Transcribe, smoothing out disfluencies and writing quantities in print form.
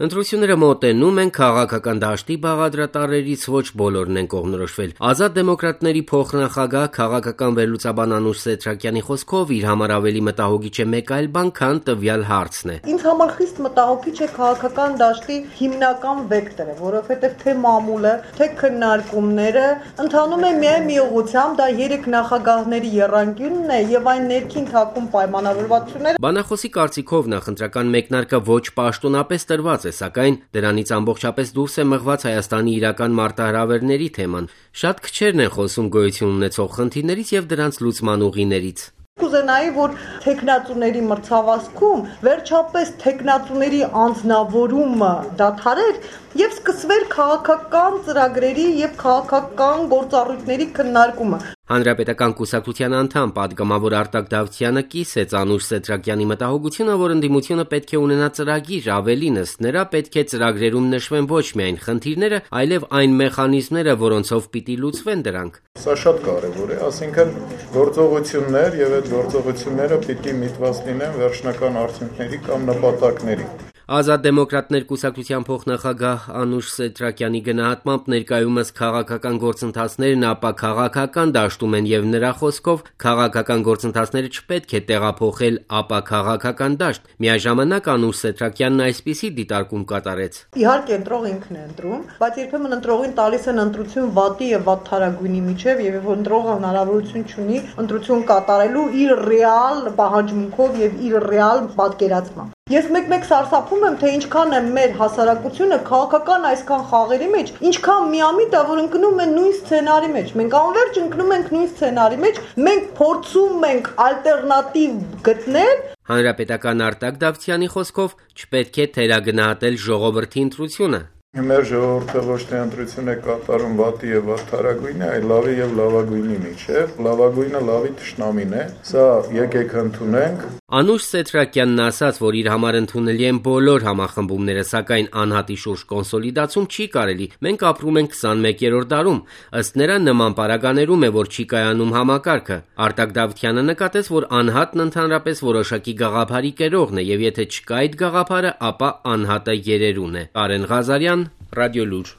Ընտրությունները մոտենում են, քաղաքական դաշտի բաղադրատարներից ոչ բոլորն են կողմնորոշվել։ Ազատ դեմոկրատների փոխնախագահ քաղաքական վերլուծաբան Անուշ Սեդրակյանի խոսքով իր համար ավելի մտահոգիչ է մեկ այլ բան, քան տվյալ հարցն է։ Ինձ համար խիստ մտահոգիչ է քաղաքական դաշտի հիմնական վեկտորը, որովհետև թե մամուլը, թե քննարկումները ընթանում է միայն մի ուղղությամբ, դա 3 նախագահների եռանկյունն է եւ այն ներքին թաքուն պայմանավորվածությունները։ Բանախոսի կարծիքով նախընտրական մեկնարկը ոչ պաշտոնապես տրված է, սակայն դրանից ամբողջապես դուրս է մղված Հայաստանի իրական մարտահրավերների թեման։ Շատ քչերն են խոսում գոյություն ունեցող խնդիրներից եւ դրանց լուծման ուղիներից։ Կուզենայի, որ թեկնածուների մրցավազքում վերջապես թեկնածուների անձնավորումը դադարեր եւ սկսվեր քաղաքական ծրագրերի եւ քաղաքական գործառույթների քննարկումը։ Հանրապետական կուսակցության անդամ պատգամավոր Արտակ Դավթյանը կիսեց Անուշ Սեդրակյանի մտահոգությունը, որ ընդդիմությունը պետք է ունենա ծրագիր, ավելին ըստ նրա պետք է ծրագրերում նշվեն ոչ միայն խնդիրները, այլև այն մեխանիզմները, որոնցով պիտի լուծվեն դրանք։ Սա շատ կարևոր է, ասինքն գործողություններ եւ այդ գործողությունները պիտի միտված լինեն վերջնական արդյունքների կամ նպատակների։ Ազատ դեմոկրատներ կուսակցության փոխնախագահ Անուշ Սեդրակյանի գնահատմամբ ներկայումս քաղաքական գործընթացներն ապա քաղաքական դաշտում են եւ նրա խոսքով քաղաքական գործընթացները չպետք է տեղափոխել ապա քաղաքական դաշտ։ Միաժամանակ Անուշ Սեդրակյանն այսպիսի դիտարկում կատարեց. Իհարկե ընտրող ինքն է ընտրում, բայց երբեմն ընտրողին տալիս են ընտրություն վատի եւ վատթարագույնի միջև եւ ընտրողը հնարավորություն չունի ընտրություն կատարելու իր ռեալ պահանջմունքով եւ իր ռեալ պատկերացմամբ։ Ես մեկ-մեկ սարսափում եմ, թե ինչքան է մեր հասարակությունը քաղաքական այսքան խաղերի մեջ, ինչքան միամիտ է, որ ընկնում են նույն սցենարի մեջ։ Մենք անverջ ընկնում ենք նույն սցենարի մեջ, մենք փորձում ենք ալտերնատիվ գտնել։ Հանրապետական Արտակ Դավթյանի խոսքով չպետք է թերագնահատել ժողովրդի ընտրությունը։ Մեր ժողովուրդը ոչ թե ընտրություն է կատարում վատի եւ վատթարագույնի, այլ լավի եւ լավագույնի միջև։ Լավագույնը լավի թշնամին է։ Սա եկեք ընդունենք։ Անուշ Սեդրակյանն ասաց, որ իր համար ընդունելի են բոլոր համախմբումները, սակայն անհատի շուրջ կոնսոլիդացում չի կարելի։ Մենք ապրում ենք 21-րդ դարում։ Ըստ նրա նման պարագաներում է, որ չի կայանում համակարգը։ Արտակ Դավթյանը նկատեց, որ անհատն ընդհանրապես որոշակի գաղափարի կերողն է, եւ եթե չկա այդ գաղափարը, ապա անհատը երերուն է։ Արեն Ղազարյան, Ռադիոլուր։